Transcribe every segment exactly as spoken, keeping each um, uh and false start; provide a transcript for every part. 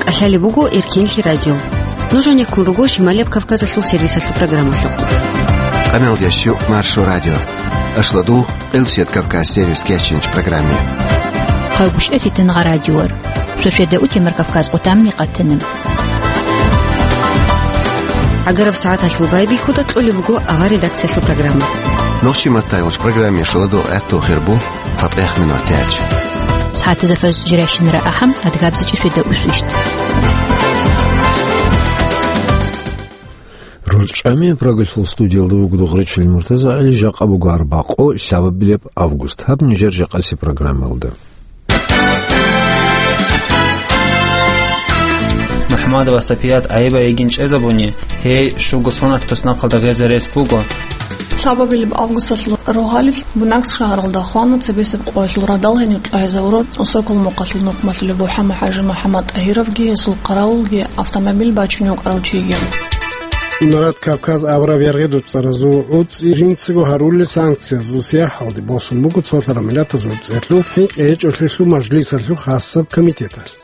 КӀалъалеб буго Эркенлъи радио. Нуж гьанеккун руго Шималияб Кавказалъул сервисалъул программалъухъ. Къамел ящу Маршо радио. Ашладу Элсет Кавказ сервис кечинч программе. Хъайгуща фитнагъа радиор. Шошеда утемар Кавказ къутамни къатана. ГӀагараб сагӀаталъул байбихьуда кьолеб буго авар редакциялъул программа. Нохчи маттайвач программе шаладу гӀатту хирбу. ЦатӀех минутач. СагӀатазда фажр жирайщинара ахӀам, адгабзичӀеб шведа усвищ. РорчӀами программалъул студиялда вуго Дугъричил Муртазагьали, жакъа буго арбакъо, лъабабилеб август. Гьаб нижер жакъаси программалда. МухӀаммадова Сапият гӀайиб йигин чӀезабуни, гьей щуго сонат туснахъалда гъезе рес буго. Лъабабилеб августалъул рогьалил Буйнакск шагьаралда хвана цебесеб къоялъул радал гьенив кьвагьизавурав Усокол мухъалъул нухмалъулев ВухӀама-хӀажи МухӀаммад-ТӀагьировги гьесул хъаравулги автомобиль бачунев вукӀарав чиги. Имарат Кавказ абураб яргъи-дуцӀаразул гӀуцӀи жинцаго гьарулел санкциязул сияхӀалде босун буго цолъараб миллатазул гӀуцӀиялъул хӀинкъи гьечӀолъиялъул мажлисалъул хасаб комитеталъ.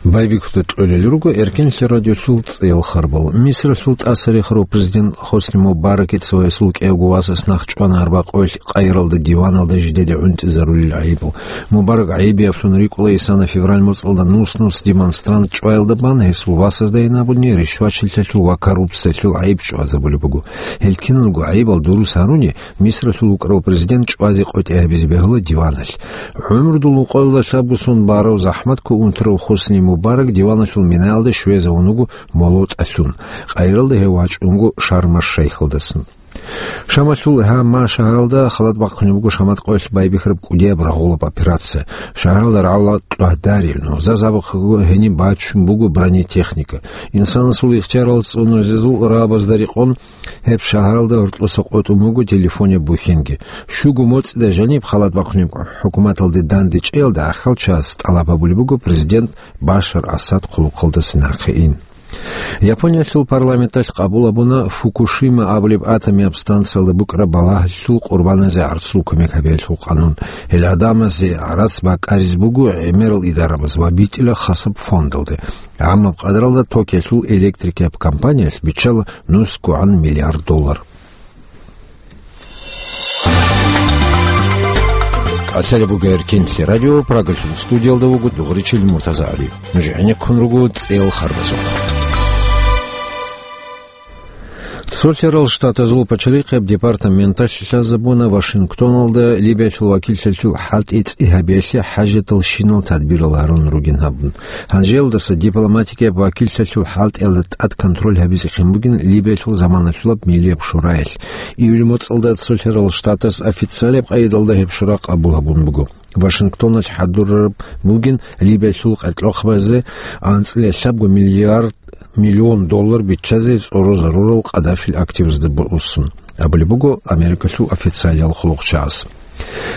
Байбихьуда кьолел руго Эркенлъи радиолъул цӀел харбал. Мисралъул тӀасарихарав президент Хосни Мубаракица ва гьесул кӀиявго васас нахъ чӀвана арбакъоялъ Каиралда диваналда жидеде гӀунтӀизарулел гӀайибал. Мубарак гӀайибиявлъун рикӀкӀула исана февраль моцӀалда нус-нус демонстрант чӀваялда бан, гьесул васазда гьенабуни ришвачилъалъул ва коррупциялъул гӀайиб чӀвазабулеб буго. Гьел киналго гӀайибал дурус гьаруни, Мисралъул вукӀарав президент чӀвазе къотӀи гьабизе бегьула диваналъ. ГӀумрудул ункъоялда лъабго сон барав, захӀматго унтарав Хосни Мубарак диваналъул минаялда щвезавун вуго молотӀалъун. Каиралда гьев вачӀун вуго Шарм-аш-Шайхалдасан. Шамалъул Гьама шагьаралда халат бахъунеб буго Шамат къоялъ байбихьараб кӀудияб рагъулаб операция. Шагьаралда рагӀула кьвагьдари, нугӀза абухъего гьениб бачун буго бронетехника. Инсанасул ихтиярал цӀунулезул рагӀабазда рекъон, гьеб шагьаралда гьоркьоса къотӀун буго телефонеб бухьинги. Щуго моцӀида жаниб халат бахъунеб хӀукуматалде дандечӀеялда гӀахьалчагӀаз тӀалаб гьабулеб буго президент Башар Асад хъулухъалдаса нахъе ин. Япониялъул парламенталъ къабул гьабуна Фукушима абулеб атомияб станциялда букӀараб балагьалъул къурбаназе гӀарцул кумек гьабиялъул къанун. Гьел гӀадамазе гӀарац бакӀаризе буго гӀемерал идарабаз ва битӀила хасаб фондалде. ГӀаммаб къадралда Токиолъул электрикияб компаниялъ биччала нусгогӀан миллиард доллар. КӀалъалеб буго Эркенлъи радио, Прагалъул студиялда вуго Дугъричил Муртазагьали. Нуж гӀенеккун руго цӀел харбазухъ. Цолъарал Штатазул пачалихъияб департаменталъ лъазабуна Вашингтоналда Либиялъул вакиллъалъул хӀалтӀи цӀи гьабиялъе хӀажатал щинал тадбирал гьарун ругин абун. Гьанжеялдаса дипломатикияб вакиллъалъул хӀалтӀиялда тӀад контроль гьабизехъин бугин Либиялъул заманалъулаб Миллияб шураялъ. Июль моцӀалда Цолъарал Штатас официалияб къайдалда гьеб шура къабул гьабун буго. Вашингтоналъ хӀадурараб бугин Либиялъул къеркьохъабазе анцӀила лъабго миллиард миллион доллар биччазе цӀорозарурал Къаддафил активазда босун, абулеб буго Америкалъул официалиял хъулухъчагӀаз.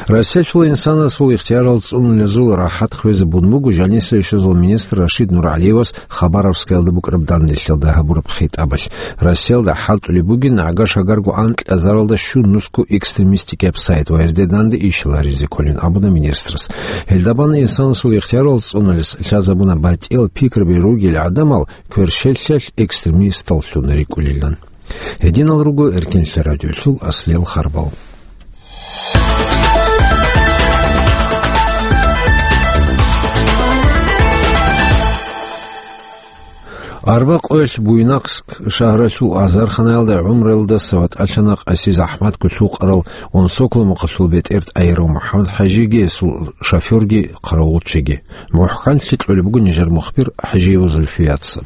Россиялъул инсанасул ихтиярал цӀунулезул рахӀат хвезабун буго жаниса ишазул министр Рашид НургӀалиевас Хабаровскаялда букӀараб данделъалда гьабураб хитӀабалъ. Россиялда хӀалтӀулеб бугин гӀага-шагарго анкьазаралда щун нусго экстремистикияб сайт ва гьезде данде ишал гьаризе кколин абуна министрас. Гьелда бан инсанасул ихтиярал цӀунулес лъазабуна батӀиял пикраби ругел гӀадамал кверщелъалъ экстремисталлъун рикӀкӀунилан. Гьединал руго Эркенлъи радиолъул аслиял харбал. Арбакъоялъ Буйнакск шагьаралъул азарханаялда гӀумраялдаса ватӀалъана къаси захӀматго лъукъарал Унсокол мухъалъул бетӀер ТӀагьиров МухӀаммад-хӀажиги, гьесул шофёрги, хъаравулчиги. МухӀканлъи кьолеб буго нижер мухбир ХӀажиева Зульфияца.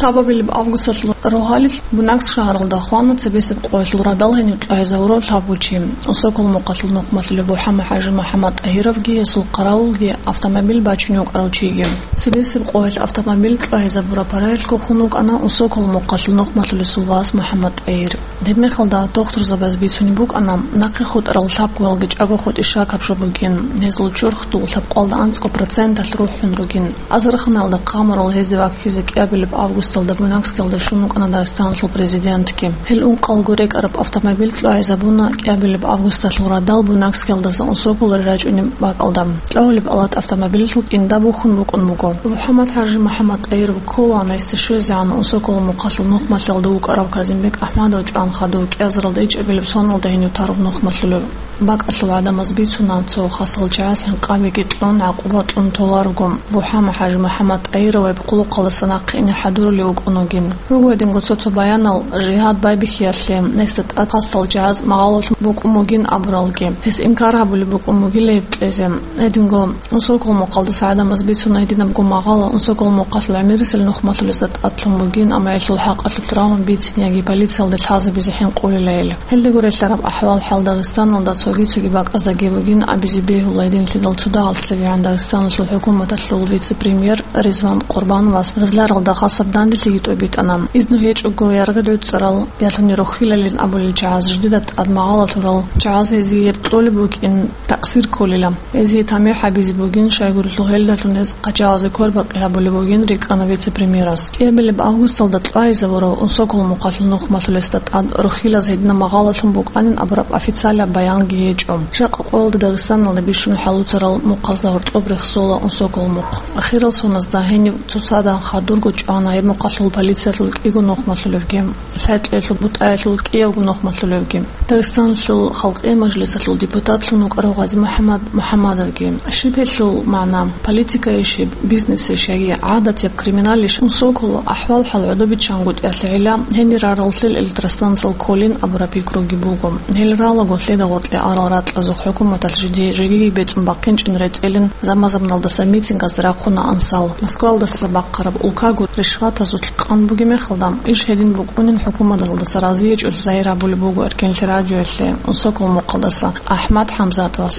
Лъабабилеб августалъул рогьалил Буйнакск шагьаралда хвана цебесеб къоялъул радал гьенив кьвагьизавурав лъабгъучи. Усокол мухъалъул нухмалъулев ВухӀама-хӀажи МухӀаммад-ТӀагьировги гьесул хъаравулги автомобиль бачунев вукӀарав чиги. Цебесеб къоялъ автомобиль кьвагьизабураб параялъго хун вукӀана Усокол мухъалъул нухмалъулесул вас МухӀаммад-ТӀагьир. Гьебмехалда дохтурзабаз бицунеб букӀана, нахъе хутӀарал лъабгоялги чӀаго хутӀи шакаб жо бугин, гьезул чурхдул лъабкъоялда анцӀго проценталъ рухӀун ругин. Азарханаялда хъамурал гьезде ваккизе кӀиабилеб Августалда Буйнакскиялде щун вукӀана Дагъистаналъул президентги. Гьел ункъалго рекӀараб автомобиль кьогӀизабуна кӀиабилеб августалъул радал Буйнакскиялдаса Унсоколалде рачӀунеб бакӀалда. Кьогьулеб алат автомобилалъул кӀинда бухьун букӀун буго. МухӀаммад-ХӀажи МухӀаммад-ТӀагьировги ккола гьесда щвезегӀан Унсоколалъул мухъалъул нухмалъиялда вукӀарав Казимбек АхӀмадов чӀван хадув кӀиазаралда ичӀабилеб соналда гьенив тараб нухмалъулев. БакӀалъул гӀадамаз бицуна, цо хасал чагӀаз хӀинкъабиги кьун, гӀакъуба кьун толарого, МухӀаммад-ХӀажи МухӀаммад-ТӀагьировайиб хъулухъалдаса нахъе ине хӀадурулев вукӀун вугин. Руго гьединго цо-цо баянал жигьад байбихьиялъе, гьесда тӀад хасал чагӀаз магъалалъун букӀун бугин абуралги, гьес инкар гьабулеб букӀун бугила гьеб кьезе. Гьединго Унсоколалъул мухъалдаса гӀадамаз бицуна гьединабго магъала Унсоколалъул мухъалъул гӀемерисел нухмалъулезда тӀадлъун бугин, амма гьелъул хӀакъалъулъ рагьун бицинеги полциялде лъазабизе хӀинкъулила гьел. Гьелдаго релълъараб ахӀвал-хӀал Дагъистаналда цоги-цоги бакӀаздаги бугин абизе бегьула гьединлъидал цо дагьалъ цебегӀан Дагъистаналъул хӀукуматалъул вице-премьер Ризван Къурбановас гъезларалда хасаб данделъиги тӀобитӀана. Изну гьечӀого яргъи гӀуцӀарал, ялъуни рохьилалин абулел чагӀаз жидеда тӀад магъалалъурал чагӀаз гьезие кьолеб букӀин такъсир кколила. Гьезие тамихӀ гьабизе бугин, щайгурелъул гьелдалъун гьез къачагъазе квербакъи гьабулеб бугин, рикӀкӀана вице-премьерас. КӀиабилеб августалда кьвайзавурав Унсоколалъул мухъалъул нухмалъулесда тӀад рохьилаз гьедина магъалалъун букӀанин абураб официалаб баянги гьечӀо. Жакъа къоялда Дагъистаналда бищун хӀалуцарал мухъазда гьоркьоб рехсола Унсоколалъул мухъ. Ахирал соназда гьенив цоцазда хадурго чӀвана гьеб мухъалъул полициялъул кӀиго нухмалъулевги, лъай-кьеялъул бутӀаялъул кӀиявго нухмалъулевги. Дагъистаналъул Халкъиял Мажлисалъул депутатлъун вукӀарав Гъази-МухӀаммад МухӀаммадовги. Щиб гьелъул магӀна? Политикайищ гьеб, бизнесищ яги гӀадатаб криминалищ? Унсоколалъул ахӀвал-хӀал гӀодобиччан гутӀиялъе гӀела, гьенир раралъил электростанциял кколин абураб пикруги буго. Гьел ралаго лъеда гъоркье арал ракьазухъ хӀукуматалъ жиде жегиги бецӀун бахъинчӀин рецӀилин, заман-заманалдаса митингазда рахъуна ансал. Москвалдаса бахъараб улкаго ришватазулъ къан бугеб мехалда, иш гьедин букӀунин хӀукуматалдаса разиячӀул загьир гьабулеб буго Эркенлъи радиоялъе Унсоколалъул мухъалдаса АхӀмад ХӀамзатовас.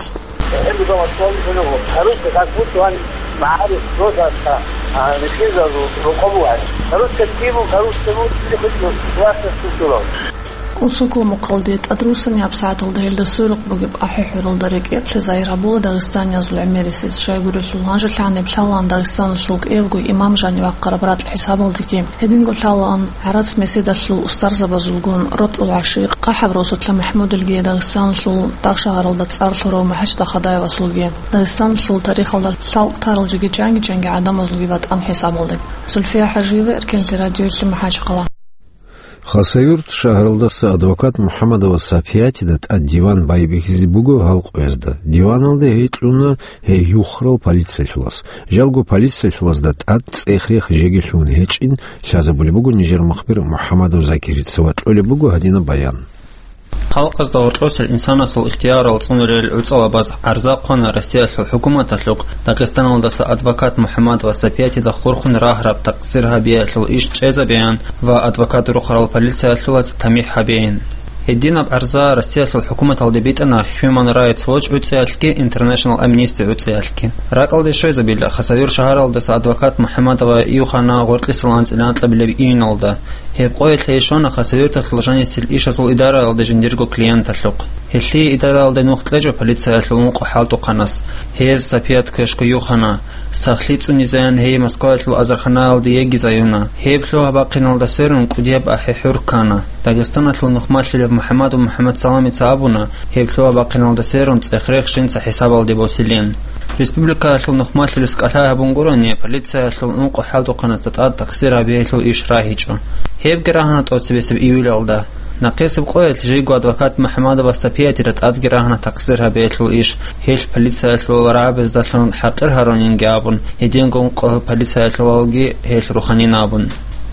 Русская как будто он معارف просто, а, ничего, рукобугӀ. Русская тема, русская музыка, хоть классно слушала. Унсоколалъул мухъалде тӀадрусани гьабсагӀаталда гьелда сверухъ бугеб ахӀи-хӀуралда рекӀекълъи загьир гьабула дагъистаниязул гӀемерисез, щайгурелъул гьанже лъаниб лъалаан Дагъистаналъул кӀиявго имам жанив вахъараб ракь хӀисабалдеги. Гьединго лъалаан гӀарац-меседалъул устарзабазулгун, рокьул гӀашикъ, КъахӀаб росулъа МахӀмудилги, Дагъистаналъул дагъ-шагьаралда цӀар лъурав МухӀажид Ахадаевасулги. Дагъистаналъул тарихалда лъалкӀ тарал жеги чанги-чанги гӀадамазулги ватӀан хӀисабалде. Зульфия ХӀажиева, Эркенлъи радиоялъе, МахӀачхъала. Хасавюрт шагьаралдаса адвокат МухӀаммадова Сапиятида тӀад диван байбихьизе буго гьал къоязда. Диваналде гьей кьуна гьей юхарал полициялъулас. Жалго полициялъулазда тӀад цӀех-рех жеги лъугьун гьечӀин лъазабулеб буго нижер мухбир МухӀаммадов Закирица ва кьолеб буго гьадинаб баян. Халкъазда гьоркьосел инсанасул ихтиярал цӀунарел гӀуцӀалабаз гӀарза хъвана Россиялъул хӀукуматалъухъ Дагъистаналдаса адвокат МухӀаммадова Сапиятида хурхун рагьараб такъсир гьабиялъул иш чӀезабеян ва адвокат рухарал полициялъулаз тамихӀ гьабеян. Гьединаб гӀарза Россиялъул хӀукуматалде битӀана Human Rights Watch гӀуцӀиялъги International Amnesty гӀуцӀиялъги. РакӀалде щвезабила, Хасавюрт шагьаралдаса адвокат МухӀаммадова июхана гъоркьисал анцӀила анкьабилеб июналда. Гьеб къоялъ гьей щвана Хасавюрталъул жанисел ишазул идараялде жиндирго клиенталъухъ. Гьелъие идараялде нух кьечӀо полициялъул ункъо хӀалтӀухъанас. Гьез Сапият квешго юхана. Сахлъи цӀунизаян гьей Москваялъул азарханаялде йигизаюна. Гьеб лъугьа-бахъиналда сверун кӀудияб ахӀи-хӀур ккана. Дагъистаналъул нухмалъилев МухӀаммадов МухӀаммадсаламица абуна, гьеб лъугьа-бахъиналда сверун цӀех-рех жинца хӀисабалде босилин. Республикаялъул нухмалъилес кӀалъай гьабун гурони, полициялъул ункъо хӀалтӀухъанасда тӀад такъсир гьабиялъул иш рагьичӀо. Гьебги рагьана тӀоцебесеб июлалда. Нахъисеб къоялъ жийго адвокат МухӀаммадова Сапиятида тӀадги рагьана такъсир гьабиялъул иш, гьелъ полициялъул рагӀабаздалъун хӀакъир гьарунинги абун, гьединго ункъо полициялъулалги гьелъ руханин абун.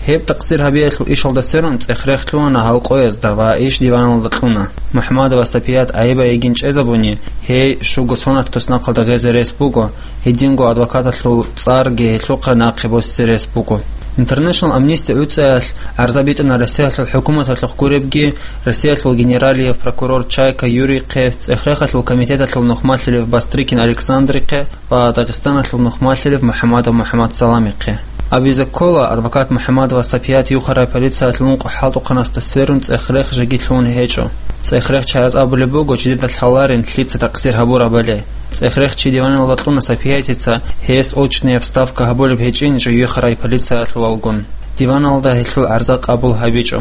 Гьеб такъсир гьабиялъул ишалда сверун цӀех-рех лъугьана гьал къоязда ва иш диваналда кьуна. МухӀаммадова Сапият гӀайиб-гӀайиб йигин чӀезабуни, гьей щуго сонат туснахъалда гъезе рес буго, гьединго адвокаталъул цӀарги гьелъухъе нахъе босизе рес буго. International Amnesty гӀуцӀиялъ гӀарза битӀана Россиялъул хӀукуматалъухъ гуребги, Россиялъул генералияб прокурор Чайка Юрийхъе, цӀех-рехалъул комитеталъул нухмалъилев Бастрыкин Александрихъе ва Дагъистаналъул нухмалъилев МухӀаммадов МухӀаммадсаламихъе. Абизе ккола, адвокат МухӀаммадова Сапият юхарай полициялъул ункъо хӀалтӀухъанасда сверун цӀех-рех жеги лъугьун гьечӀо. ЦӀех-рех чагӀаз абулеб буго жидеда лъаларин лъица такъсир гьабурабали. ЦӀех-рех чи диваналда кьуна Сапиятица, гьес очная вставка гьабулеб гьечӀин жо юхарай полициялъулалгун. Диваналда гьелъул гӀарза къабул гьабичӀо.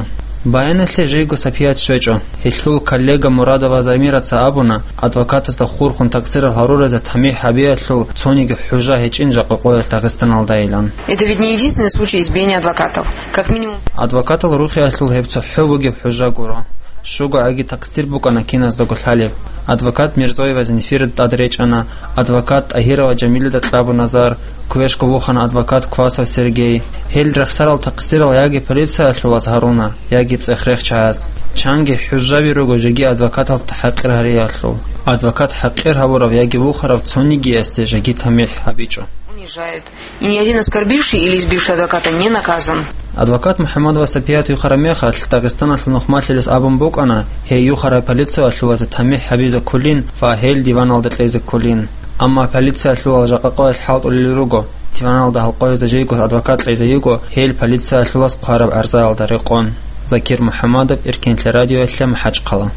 Баяналъе жийго сапият щвечӀо. Гьелъул коллега Мурадова Замираца абуна, адвокатасда хурхун такъсирал гьаруразе тамихӀ гьабиялъул цониги хӀужа гьечӀин жакъа къоялъ Дагъистаналдайилан. Это ведь не единственный случай избиения адвокатов. Как минимум. Адвокатал рухиялъул гьеб цохӀо бугеб хӀужа гуро. Щуго гӀаги такъсир букӀана киназдаго лъалеб. Адвокат Мирзоева Зинфира тӀад речӀана, адвокат ТӀагьирова Жамилида кьабуна зар, квешго вухана адвокат Квасов Сергей. Гьел рехсарал такъсирал яги полициялъулаз гьаруна, яги цӀех рехчаяз. Чанги хӀужаби руго жеги адвокаталда хӀакъир гьариялъул. Адвокат хӀакъир гьабурав яги вухарав цонигиясде жеги тамихӀ гьабичӀо. Унижают. И ни один оскорбивший или избивший адвоката не наказан. Адвокат МухӀаммадова Сапият юхараб мехалъ, Дагъистаналъул нухмалъилес абун букӀана, гьей юхарай полициялъулазе тамихӀ гьабизе кколин ва гьел диваналда кьезе кколин. Амма полициялъулал жакъа къоялъ хӀалтӀулел руго, диваналда гьалкъоязда жийго адвокат кьезе йиго, гьел полициялъулас хъвараб гӀарзаялда рекъон. Закир МухӀаммадов, Эркенлъи радиоялъе, МахӀачхъала.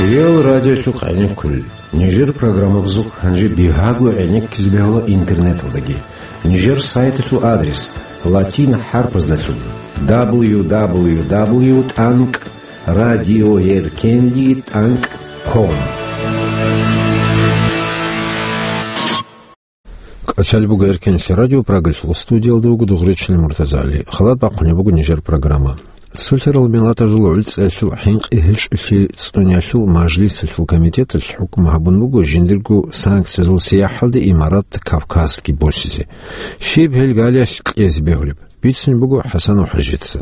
Реал радиолъухъ гӀенеккулел. Нижер программабазухъ гьанже бигьаго гӀенеккизе бегьула интернеталдаги. Нижер сайталъул адрес латин хӀарпаздалъун: дабл ю дабл ю дабл ю тӀанкӀ радиоэркенлъи тӀанкӀ ком. КӀалъалеб буго Эркенлъи радио, Прагалъул студиялда вуго Дугъричилан Муртазали. Халат бахъунеб буго нижер программа. Цолъарал миллатазул гӀуцӀиялъул хӀинкъи гьечӀолъи цӀуниялъул мажлисалъул комитеталъ хӀукму гьабун буго жиндирго санкциязул сияхӀалде Имарат Кавказги босизе. Щиб гьел галиялъ кьезе бегьулеб? Бицунеб буго ХӀасанов ХӀажица.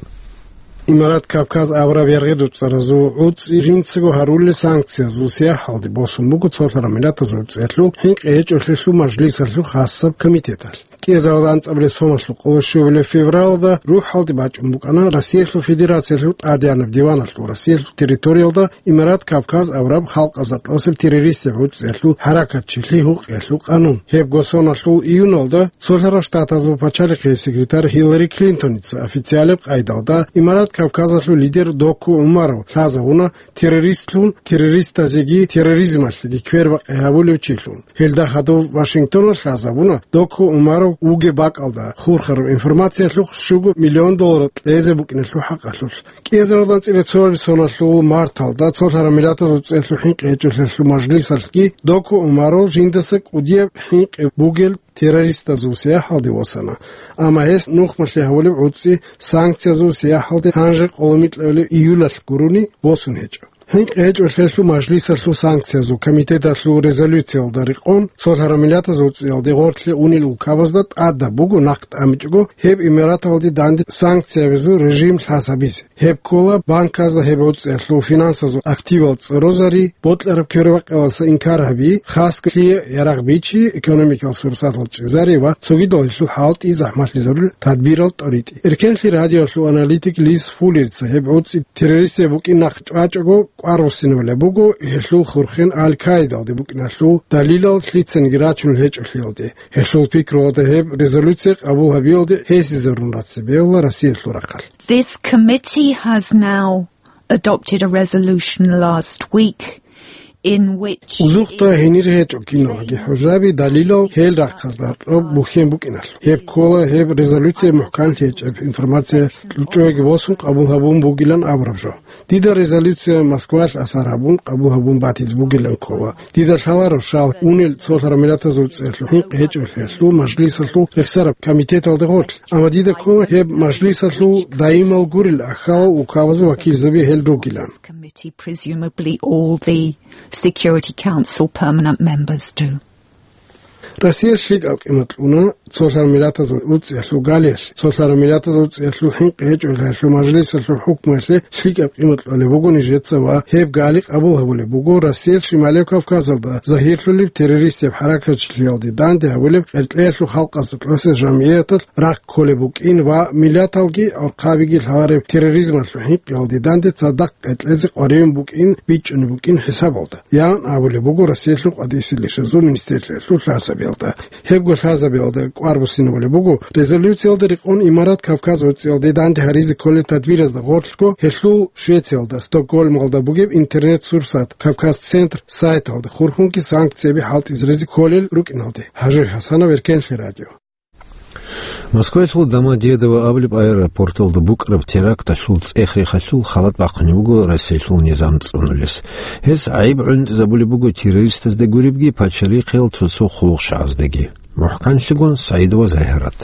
Имарат Кавказ абураб яргъи дуцӀаразул гӀуцӀи жинцаго гьарулел санкциязул сияхӀалде босун буго цолъарал миллатазул гӀуцӀиялъул хӀинкъи гьечӀолъиялъул мажлисалъул хасаб комитеталъ. КӀиазарда анцӀабилеб соналъул къоло щуабилеб февралда рухӀалде бачӀун букӀана Россиялъул Федерациялъул тӀадегӀанаб диваналъул Россиялъул территориялда Имарат Кавказ абураб халкъазда тӀосеб террористияб гӀуцӀиялъул хӀаракатчилъи гьукъиялъул къанун. Гьебго соналъул июналда Цолъарал Штатазул пачалихъе секретарь Хиллари Клинтоница официалаб къайдалда Имарат Кавказалъул лидер Доку ГӀумаров лъазабуна террористлъун, террористазеги терроризмалъеги квербакъи гьабулев чилъун. Гьелда хадув Вашингтоналъ лъазабуна Доку ГӀумаров вугеб бакӀалда хурхараб информациялъухъ щуго миллион доллар кьезе букӀиналъул хӀакъалъулъ. КӀиазарда анцӀила цоабилеб соналъул марталда цолъарал миллатазул гӀуцӀиялъул хӀинкъи гьечӀолъиялъул мажлисалъги Доку ГӀумаров жиндаса кӀудияб хӀинкъи бугел террористазул сияхӀалде восана. Амма гьес нухмалъе гьабулеб гӀуцӀи санкциязул сияхӀалде гьанже къоло микьабилеб июлалъ гурони босун гьечӀо. ХӀинкъи гьечӀолъиялъул мажлисалъул санкциязул комитеталъул резолюциялда рекъон, цолъарал миллатазул гӀуцӀиялде гъорлъе унел улкабазда тӀадаб буго нахъ тӀамичӀого гьеб Имараталде данде санкциябазул режим лъазабизе. Гьеб ккола банказда гьеб гӀуцӀиялъул финансазул активал цӀорозари, бокьараб квербакъиялдаса инкар гьаби, хасго лъие ярагъ бичи, экономикал сурсатал чӀезари ва цогидал гьелъул хӀалтӀи захӀмалъизарулел тадбирал тӀоритӀи. Эркенлъи радиолъул аналитик Лиз Фуллерица гьеб гӀуцӀи террористияб букӀин нахъ чӀвачӀого кӀвар буссинабулеб буго гьелъул хурхен Аль-Каидалде букӀиналъул далилал лъицаниги рачунел гьечӀолъиялде. Гьелъул пикруялда гьеб резолюция къабул гьабиялде гьесизарун рацеб бегьула Россиялъул рахъалъ. This committee has now adopted a resolution last week in which Узухъда гьенир гьечӀо киналги хӀужаби далилал гьел рахъазда гьоркьоб бухьен букӀиналъ. Гьеб ккола гьеб резолюция мухӀканлъи гьечӀеб информация чӀоги босун къабул гьабун бугилан абураб жо. Дида резолюция Москвалъ асар гьабун къабул гьабун батизе бугилан ккола. Дида лъаларо щал унел цолъарал миллатазул гӀуцӀиялъул хӀинкъи гьечӀолъиялъул мажлисалъул рехсараб комитеталда гъорлъ. Амма дида ккола гьеб мажлисалъул даимал гурел ахьалал улкабазул вакилзаби гьел ругилан. Committee, presumably all the Security Council permanent members do. Россия лъикӀаб къимат кьуна цолъарал миллатазул гӀуцӀиялъул галиялъ, цолъарал миллатазул гӀуцӀиялъул хӀинкъи гьечӀолъиялъул мажлисалъул хӀукмуялъе лъикӀаб къимат кьолеб буго нижеца ва гьеб гали къабул гьабулеб буго Россиялъ Шималияб Кавказалда загьирлъулеб террористияб хӀаракатчилъиялде данде гьабулеб къеркьеялъул халкъазда тӀосеб жамгӀияталъ рахъ кколеб букӀин ва миллаталги гӀурхъабиги лъалареб терроризмалъул хӀинкъиялде данде цадахъ къеркьезе къваригӀун букӀин бичӀчӀунеб букӀин хӀисабалда, ян абулеб буго Россиялъул къватӀисел ишазул министрлъиялъул лъазаби. Гьебго лъазабиялда кӀвар буссинабулеб буго, резолюциялда рекъон Имарат Кавказ гӀуцӀиялде данде гьаризе кколел тадбиразда гъорлъго гьелъул Швециялда, Стокгольмалда бугеб интернет-сурсат «Кавказ-центр» сайталда хурхунги санкцияби хӀалтӀизаризе кколел рукӀиналде. Гьажуй Гьасанов, Эркенлъи радио. Москваялъул Домодедово абулеб аэропорталда букӀараб теракталъул цӀех-рехалъул халат бахъунеб буго Россиялъул низам цӀунулес. Гьес гӀайиб гӀундизабулеб буго террористазда гуребги пачалихъиял цо-цо хъулухъчагӀаздаги. МухӀканлъигун СагӀидова Загьарат.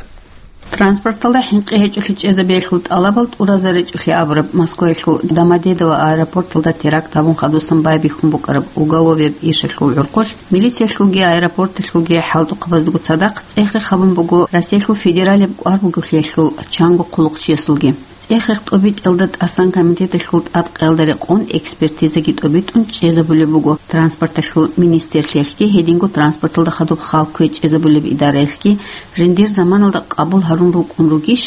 Транспорталда хӀинкъи гьечӀолъи чӀезабиялъул тӀалабал тӀуразаричӀолъи абураб Москваялъул Домодедово аэропорталда теракт гьабун хадусан байбихьун букӀараб уголовияб ишалъул гӀурхъулъ, милициялъулги аэропорталъулги хӀалтӀухъабаздаго цадахъ цӀех-рех гьабун буго Россиялъул федералияб кӀвар бугелъиялъул чанго хъулухъчиясулги. ЦӀех-рех тӀобитӀиялда тӀасан комитеталъул тӀадкъиялда рекъон экспертизаги тӀобитӀун чӀезабулеб буго транспорталъул министрлъиялъги гьединго транспорталда хадуб хал кквечӀезабулеб идараялъги жиндир заманалда къабул гьарун рукӀун ругищ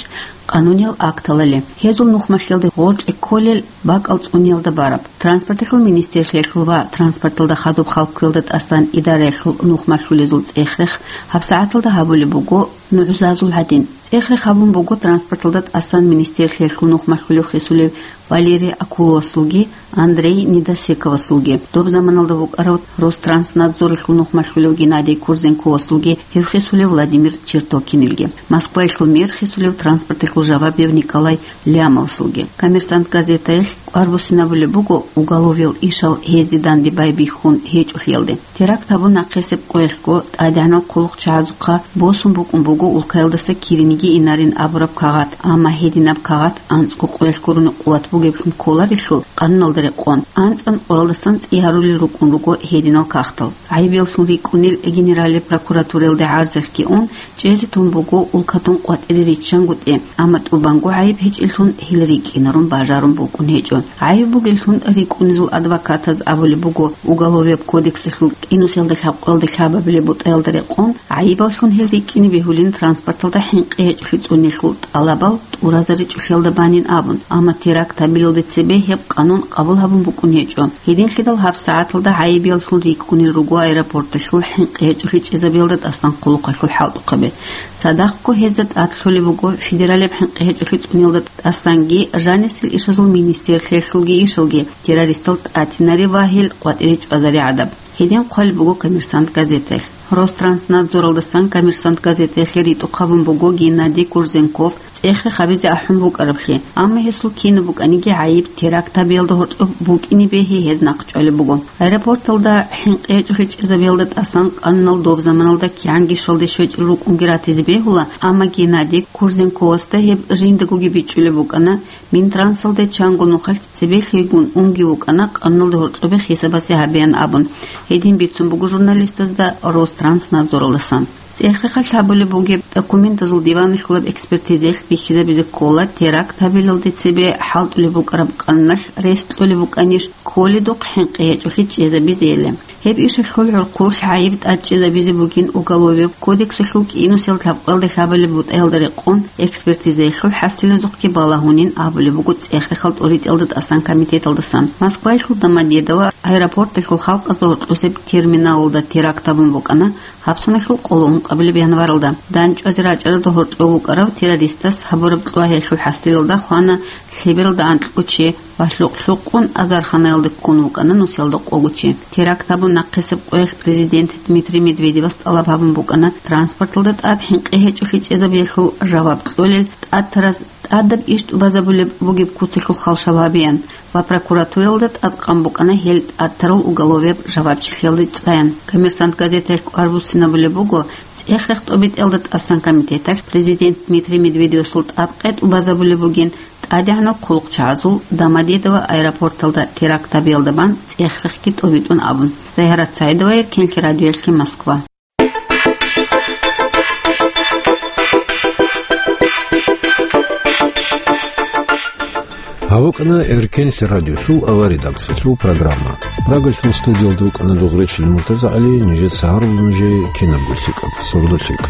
къануниял акталали. Гьезул нухмалъиялда гъоркье кколел бакӀал цӀуниялда бараб. Транспорталъул министрлъиялъул ва транспорталда хадуб хал кквелда тӀасан идараялъул нухмалъулезул цӀех-рех гьабсагӀаталда гьабулеб буго нугӀзазул гьадин. ЦӀех-рех гьабун буго транспорталда тӀасан министрлъиялъул нухмалъулев хисулев Валерий Акуловасулги Андрей Недосековасулги, доб заманалда вукӀарав Ространснадзоралъул нухмалъулев Геннадий Курзенковасулги, гьев хисулев Владимир Чертокинилги, Москваялъул мэр хисулев транспорталъул жавабияв Николай Лямовасулги. «Коммерсант» газетаялъ кӀвар буссинабулеб буго уголовиял ишал гьезде данде байбихьун гьечӀолъиялде. Теракт гьабун нахъисеб къоялъго тӀадегӀанал хъулухъчагӀазухъа босун букӀун буго улкаялдаса кириниги инарин абураб кагъат, амма гьединаб кагъат анцӀго къоялъ гурони къуват бугеблъун кколарелъул къануналда рекъон, анцӀан къоялдасан цӀи гьарулел рукӀун руго гьединал кагътал. ГӀайибияллъун рикӀкӀунел Генералияб прокуратураялде гӀарзалъги ун, чӀезе тун буго улкатун къватӀире риччангутӀи, амма тӀубанго гӀайиб гьечӀеллъун гьел рикӀкӀинарун бажарун букӀун гьечӀо. ГӀайиб бугеллъун рикӀкӀунезул адвокатаз абулеб буго, Уголовияб кодексалъул кӀинусиялда лъабкъоялда лъабабилеб бутӀаялда рекъон, гӀайибаллъун гьел рикӀкӀине бегьулин транспорталда хӀинкъи гьечӀолъи цӀунелъул тӀалабал тӀуразаричӀолъиялда банин абун, амма теракт гьабилалде цебе гьеб къанун къабул гьабун букӀун гьечӀо. Гьединлъидал гьабсагӀаталда гӀайибияллъун рикӀкӀунел руго аэропорталъул хӀинкъи гьечӀолъи чӀезабиялда тӀасан хъулухъалъул хӀалтӀухъаби. Цадахъго гьезда тӀад лъолеб буго федералияб хӀинкъи гьечӀолъи цӀуниялда тӀасанги жанисел ишазул министрлъиялъулги ишалги террористал тӀатинари ва гьел къватӀире чӀвазари гӀадаб. Гьедин хъвалеб буго «Коммерсант» газетаялъ. Ространснадзоралдасан «Коммерсант» газетаялъе ритӀухъ гьабун буго Геннадий Курзенков цӀех-рех гьабизе ахӀун букӀараблъи, амма гьесул кинаб букӀаниги гӀайиб теракт гьабиялда гьоркьоб букӀине бегьи гьез нахъчӀвалеб буго. Аэропорталда хӀинкъи гьечӀолъи чӀезабиялда тӀасан къанунал доб заманалда кигӀан гишалде щвечӀел рукӀунги ратизе бегьула, амма Геннадий Курзенковасда гьеб жиндагоги бичӀчӀулеб букӀана, Минтрансалде чанго нухалъ цебехьигун унги вукӀана къануналда гьоркьобе хисабасе гьабеян абун, гьедин бицун буго журналистазда Ространснадзоралдасан. ЦӀех-рехалъ гьабулеб бугеб документазул диваналъулаб экспертизаялъ бихьизабизе ккола, теракт гьабилалде цебе хӀалтӀулеб букӀараб къануналъ рес кьолеб букӀанищ кколедухъ хӀинкъи гьечӀолъи чӀезабизейилан. Гьеб ишалъул гӀурхъулъ гӀайиб тӀадчӀезабизе бугин Уголовияб кодексалъул кӀинусел лъабкъоялда лъабабилеб бутӀаялда рекъон экспертизаялъул хӀасилазухъги балагьунин абулеб буго цӀех-рехал тӀоритӀиялда тӀасан комитеталдасан. Москваялъул Домодедово аэропорталъул халкъазда гьоркьосеб терминалалда теракт гьабун букӀана гьабсуналъул къоло ункъабилеб январалда. ДандчӀвазе рачӀаралда гьоркьов вукӀарав террористас гьабураб кьвагьиялъул хӀасилалда хвана лъебералда анкьго чи ва лъукъ-лъукъун азарханаялда ккун вукӀана нусиялда къого чи. Теракт гьабун нахъисеб къоялъ президент Дмитрий Медведевас тӀалаб гьабун букӀана транспорталда тӀад хӀинкъи гьечӀолъи чӀезабиялъул жаваб кьолел тӀад тараз тӀадаб иш тӀубазабулеб бугеб куцалъул халшал гьабеян ва прокуратуралда тӀадкъан букӀана гьел тӀад тарал уголовияб жавабчилъиялде цӀаян. «Коммерсант» газетаялъ кӀвар буссинабулеб буго, цӀех-рех тӀобитӀиялда тӀасан комитеталъ президент Дмитрий Медведевасул тӀад къе тӀубазабулеб бугин, ТӀадегӀанал хъулухъчагӀазул Домодедово аэропорталда теракт гьабиялда бан цӀех-рехги тӀобитӀун абун. Загьарат Саидова, Эркенлъи радиоялъе, Москва. Гьаб букӀана Эркенлъи радиолъул авария редакциялъул программа. Прагалъул студиялда вукӀана Дугъречил МуртазагӀали, нижеца гьарулеб нужее кинабго лъикӀаб, сордо лъикӀ.